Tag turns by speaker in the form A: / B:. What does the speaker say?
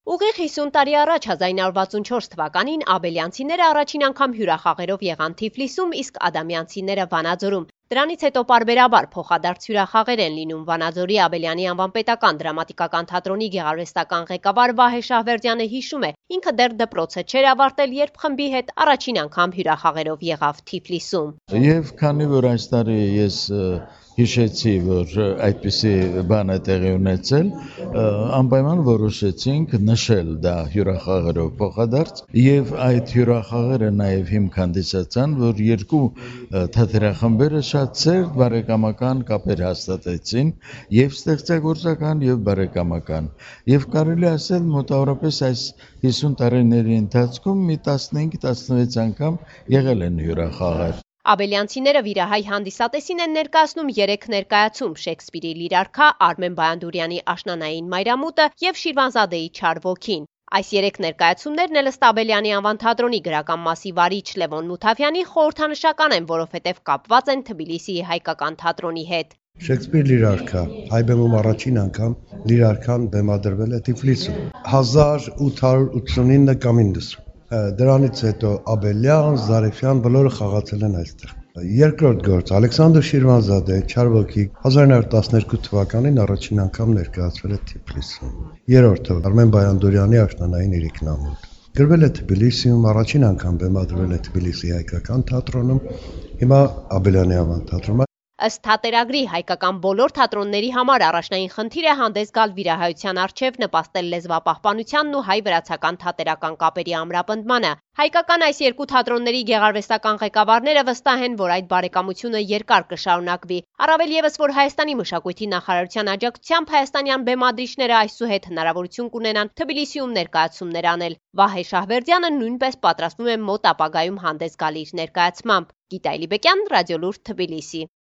A: Ուղիղ 50 տարի առաջ 1964 թվականին աբելյանցիները առաջին անգամ հյուրախաղերով եղան Թիֆլիսում, իսկ ադամյանցիները Վանաձորում։ Դրանից հետո պարբերաբար փոխադարձ հյուրախաղեր են լինում։ Վանաձորի Աբելյանի անվան պետական դրամատիկական թատրոնի գեղարվեստական ղեկավար Վահե Շահվերդյանը հիշում է, ինքը դեռ դպրոցը չէր ավարտել, երբ խմբի հետ առաջին անգամ հյուրախաղերով եղավ Թիֆլիսում։
B: Եվ քանի որ այս տարի ես հիշեցի, որ այդպիսի բան է տեղի ունեցել, անպայման որոշեցինք նշել դա հյուրախաղերով փոխադարձ, եւ այդ հյուրախաղերը նաեւ հիմք հանդիսացան, որ երկու թատերախմբերը շատ սերտ բարեկամական կապեր հաստատեցին, եւ ստեղծագործական եւ բարեկամական, եւ կարելի ասել մոտավորապես այս 50 տարիների ընթացքում մի 15-16 անգամ եղել են հյուրախաղեր։
A: Աբելյանցիները վիրահայ հանդիսատեսին են ներկայացնում 3 ներկայացում՝ Շեքսպիրի Լիրարքա, Արմեն Բայանդուրյանի Աշնանային մայրամուտը եւ Շիրվանզադեի Չար ոգին։ Այս 3 ներկայացումներն էլ ըստ Աբելյանի անվան թատրոնի գրական մասի վարիչ Լևոն Մութավյանի խորհրդանշական են, որովհետեւ կապված են Թբիլիսիի հայկական թատրոնի հետ։
C: Շեքսպիր Լիրարքա, հայ բեմում առաջին անգամ Լիրարքան բեմադրվել է Թիֆլիսում 1889 կամ 90։ Դրանից հետո Աբելյան, Զարեֆյան բոլորը խաղացել են այստեղ։ Երկրորդ գործ Ալեքսանդր Շիրվանզադե Չար ոգի 1912 թվականին առաջին անգամ ներկայացվել է Թիֆլիսում։ Երրորդը Արմեն Բայանդուրյանի Աշնանային իրիկնամուտ։ Գրվել է Թբիլիսիում, առաջին անգամ բեմադրվել է Թբիլիսի հայկական թատրոնում, հիմա Աբելյանի անվան թատրոնում։
A: Ըստ թատերագրի հայկական բոլոր թատրոնների համար առաջնային խնդիր է հանդես գալ վիրահայության առջև, նպաստել լեզվապահպանությանն ու հայ-վրացական թատերական կապերի ամրապնդմանը։ Հայկական այս երկու թատրոնների գեղարվեստական ղեկավարները վստահ են, որ այդ բարեկամությունը երկար կշարունակվի։ Առավել ևս, որ Հայաստանի մշակույթի նախարարության աջակցությամբ հայաստանյան բեմադրիչները այսուհետ հնարավորություն կունենան Թբիլիսիում ներկայացումներ անել։ Վահե Շահվերդյանը նույնպես պատրաստվում է մոտ ապագայում հանդես գալ իր ներկայացմամբ։ Գիտա Էլիբեկյան, Ռադիոլուրդ, Թբիլիսի։